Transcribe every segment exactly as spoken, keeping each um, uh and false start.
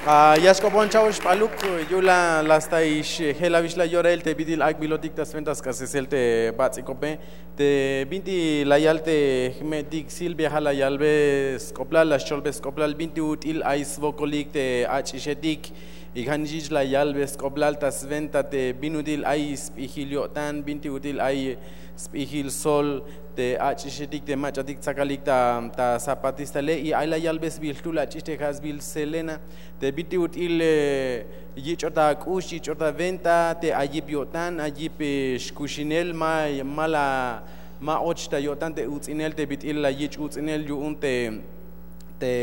Ya xk'opon cha'ox p'aluk, yu'un la staix je'el awix la yorahil te bit'il ak'bilotik ta swenta sk'asesel te bats'ikope. Te binti la yal te jme'tik Silvia, ja' la yalbe sk'oplal, la xcholbe sk'oplal binti ut'il ay swokolik te ach'ixetik. Y ja' nix jich la yalbe sk'oplal ta swenta te bin ut'il ay sp'ijil yo'tan, binti ut'il ay sp'ijil sol te ach'ixetik te mach'atik tsakalik ta zapatistale. Y ay la yalbe sbiil jtul ach'ix te ja' sbiil Selena, te bit'il ut'il yich'ot ak'ux, yich'ot awenta te ay yip yo'tan, ay yip xkuxinel, ma ma la ma och ta yo'tan te uts'inel te bit'il la yich' uts'inel yu'un te te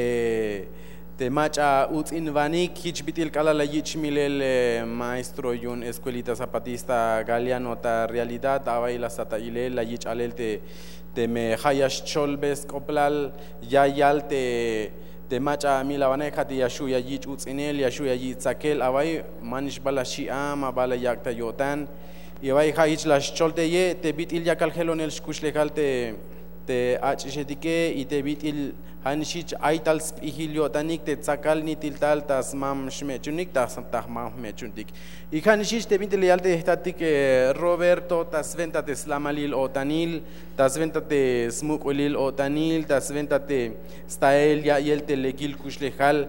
te mach'a uts'inwanik. Jich bit'il k'alal la yich' milel maestro yu'un escuelita zapatista Galeano ta Realidad, awa'iy la sat ta ilel, la yich' alel te teme ja' ya xcholbe sk'oplal, ya yal te te mach'a amilawanej ja' te ya xju' ya yich' uts'inel, ya xju' ya yich' tsakel, awa'iy manix ba la xi'a, ma ba la yak' ta yo'tan. Y awa'iy ja' jich la xcholteye te bit'il yakal jelonel xkuxlejal te te ach'ixetike y te bit'il ja' nix jich ay tal sp'ijil yo'tanik te tsakal nitil tal ta smam xme'chunik, ta jmam jme'chuntik. Y ja' nix jich te binti la yal te jtatik Roberto, ta swenta te slamalil o'tanil, ta swenta te smuk'ulil o'tanil, ta swenta te stael ya'iyel te lekil kuxlejal.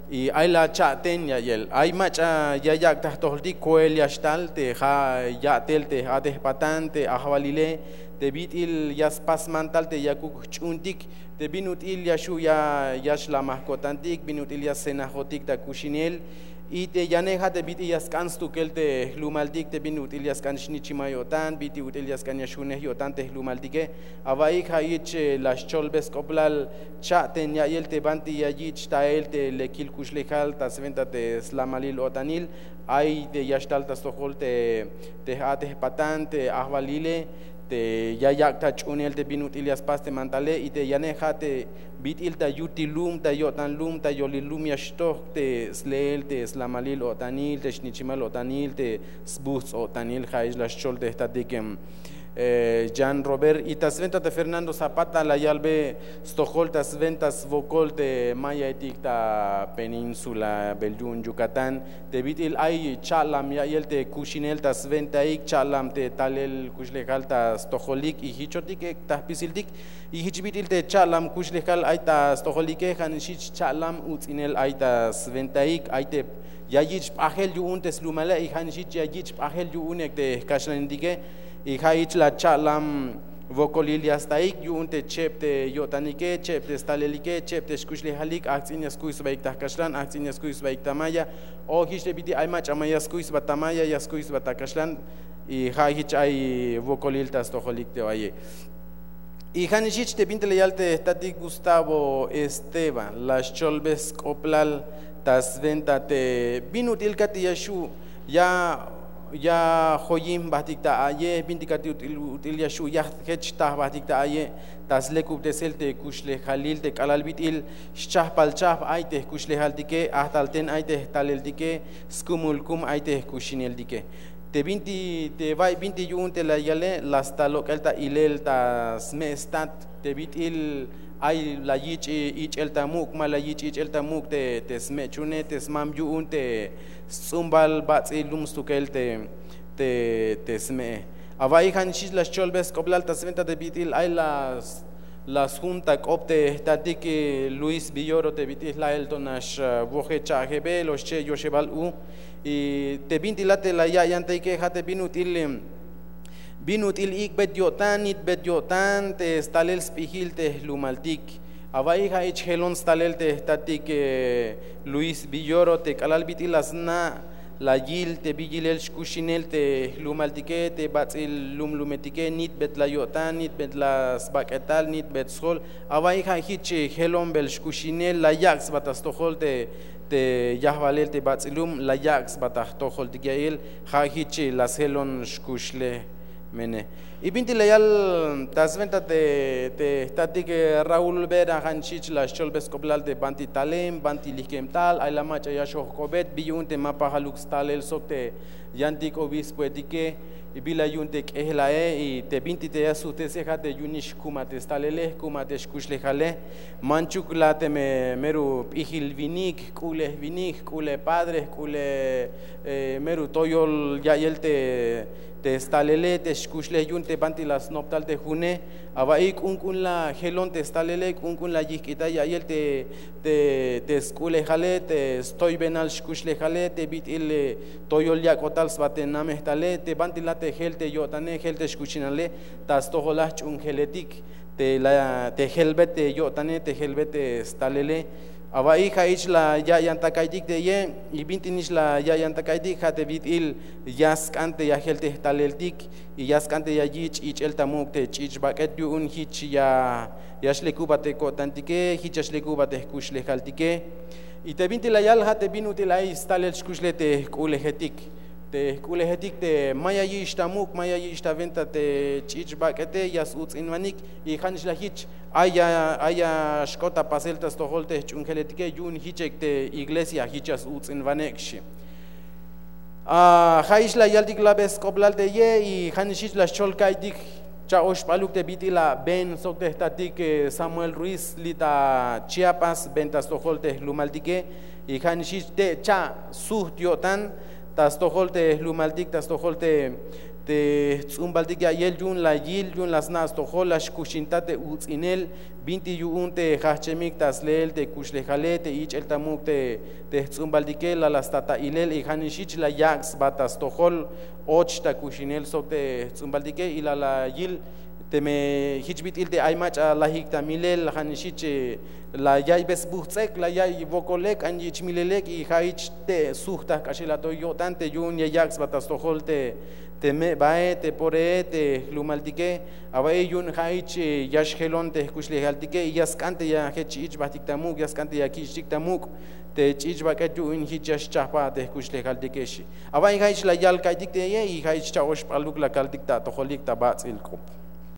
Y ay la cha'ten ya'iyel, ay mach'a ya yak' ta jtojoltik, koel ya xtal te ja' ya'tel te a'tejpatan te ajwalile, te bit'il ya spasman tal te yakuk jch'uuntik, te bin ut'il ya xju' ya ya xlamaj ko'tantik, bin ut'il ya scenajotik ta kuxinel. Y te yanej ja' te bit'il ya sk'an stukel te jlumaltik, te bin ut'il ya sk'an xnichimal yo'tan, bit'il ut'il ya sk'an ya xjunej yo'tan te jlumaltike. Awa'iyik ja' jich la xcholbe sk'oplal cha'ten ya'iyel te banti ya yich' tael te lekil kuxlejal ta swenta te slamalil o'tanil. Ay te ya xtal ta stojol te te j'atejpatan te ajwalile, te ya yak' ta ch'uunel te bin ut'il ya spas te mantale. Y te yanej ja' te bit'il ta yutil lum, ta yo'tan lum, ta yolil lum ya xtoj te sleel te slamalil o'tanil, te xnichimal o'tanil, te sbujts' o'tanil. Ja' jich la xchol te jtatik Jan Robert. Y ta swenta te Fernando Zapata la yalbe stojol ta swenta swokol te mayaetik ta península bel yu'un Yucatán, te bit'il ay cha'lam ya'iyel te kuxinel ta swentaik, cha'lam te talel kuxlejal ta stojolik y jichotik ek' ta jpisiltik. Y jich bit'il te cha'lam kuxlejal ay ta stojolike, ja' nix jich cha'lam uts'inel ay ta swentaik, ay te ya yich' p'ajel yu'un te slumale, y ja' nix jich ya yich' p'ajel yu'un ek' te jkaxlanetike. Y ja' jich la cha'lam wokolil ya staik yu'un te cheb te yo'tanike, cheb te stalelike, cheb te xkuxlejalik. Ajts'in ya skuy sbaik ta jkaxlan, ajts'in ya skuy sbaik ta maya, o jich te bit'il ay mach'a ma ya skuy sba ta maya, ya skuy sba ta kaxlan. Y ja' jich ay wokolil ta stojolik te wa'iye. Y ja' nix jich te binti la yal te jtatik Gustavo Esteban, la xcholbe sk'oplal ta swenta te bin ut'il kati' ya xju' ya ya joyin jbajtik ta a'yej, binti kati' ut'il ut'il ya xju' ya jech ta jbajtik ta a'yej, ta slekubtesel te kuxlejalil te k'alal bit'il xchajpal chajp ay te jkuxlejaltike, ajtal ten ay te jtaleltike, skumul kum ay te jkuxineltike. Te binti te bay binti yu'un te la yale, la sta lok'el ta ilel ta sme' stat te bit'il ay la yich' ich'el ta muk', ma la yich' ich'el ta muk' te te sme'chune, te smam yu'un te sts'umbal bats'il lum stukel te te te sme'e. Awa'iy ja' nix jich la xcholbe sk'oplal ta swenta te bit'il ay la la sjun ta k'op te jtatik Luis Villoro, te bit'il jla'el to nax woje cha'jebel o xche' yoxebal u. Y te binti la te la ya' yantayike ja' te bin ut'il bin ut'il ik'bet yo'tan, nitbet yo'tan te stalel sp'ijil te jlumaltik. Awa'iy ja' jich jelon stalel te jtatik Luis Villoro, te k'alal bit'il la sna' la yil te bi yilel xkuxinel te jlumaltike, te bats'il lumlumetike, nitbet la yo'tan, nitbet la sbak'etal, nitbet sjol. Awa'iy ja' jich jelon bel xkuxinel, la yak' sba ta stojol te te yajwalel te bats'il lum, la yak' sba ta jtojoltik ya'iyel. Ja' jich la sjelon xkuxlej mene. Y binti la yal ta swenta te te jtatik Raúl Vera, ja' nix jich la xcholbe sk'oplal te banti talem, banti lijkem tal, ay la mach'a ya xojk'obet, bi yu'un te ma pajaluk stalel sok te yantik obispoetike. Y bila yu'un te k'ejel ae y te binti te ya sujtese ja' te yu'unix jkuma te stalele, jkuma te xkuxlejale. Manchuk la teme meru p'ijil winik, jk'ulej winik, jk'ulej padre, jk'ulej meru toyol ya'yel te stalele te xkuxlej yu'un te banti la snop tal te june. Awa'iy k'unk'un la jelon te stalele, k'unk'un la yijk'ita ya'yel te te sk'ulejale, te stoybenal xkuxlejale, te bit'il toyol yak'otal sba te namehtale, te banti la te jel te yo'tane, jel te xkuxinale, ta stojol la jch'uunjeletik te jelbet te yo'tane, te jelbet te stalele. Awa'iy ja' ich la ya'yan ta ka'iytik te ye. Y binti nix la ya'yan ta ka'iytik, ja' te bit'il ya sk'an te ya jel te jtaleltik y ya sk'an te ya yich' yich'el ta muk' te ch'ich' bak'et yu'un jich ya xlekubat te ko'tantike, jich ya xlekubat te jkuxlejaltike. Y te binti la yal ja' te bin ut'il ay stalel xkuxlej te jk'ulejetik, te jk'ulejetik te ma ya yich' ta muk', ma ya yich' ta wenta te ch'ich' bak'ete, ya s-uts'inwanik. Y ja' nix la jich ay ya xk'ot ta pasel ta stojol te jch'uunjeletike, yu'un jich ek te iglesia jich ya s-uts'inwanek xi. Ja' ix la yaltik labe sk'oblal te ye. Y ja' nix ix la xchol ka'iytik cha'oxp'aluk te bit'il a Ben sok te jtatik Samuel Ruiz li' ta Chiapas, Ben ta stojol te jlumaltike. Y ja' nix ix te' cha' sujt yo'tan ta stojol te jlumaltik, ta stojol te te jts'umbaltik ya'yel yu'un la yil, yu'un la sna' stojol, la xkuxinta te uts'inel binti yu'un te jajch'emik ta sleel te kuxlejale, te ich'el ta muk' te jts'umbaltike, la la sta ta ilel. Y ja' nix jich la yak' sba ta stojol och ta kuxinel sok te jts'umbaltike. Y la la yil teme jich bit'il te ay mach'a lajik ta milel, ja' nix jich la yaiybey sbujts'ek, la yaiy wokol lek, k'an yich' milel lek. Y ja' jich te' sujt ta jk'axel atoy yo'tan te yu'un ya yak' sba ta stojol te te me'bae, te poree, te jlumaltike. Awa'iy yu'un ja' jich ya xjelon te jkuxlejaltike y ya sk'an te ya jech ich'bajtik ta muk', ya sk'an te ya kich'tik ta muk' te ch'ich' bak'et yu'un jich ya xchajpa te jkuxlejaltike xi. Awa'iy ja' jich la yal ka'iytik te ye. Y ja' jich cha'oxp'aluk la kaltik ta atojolik ta bats'il k'op.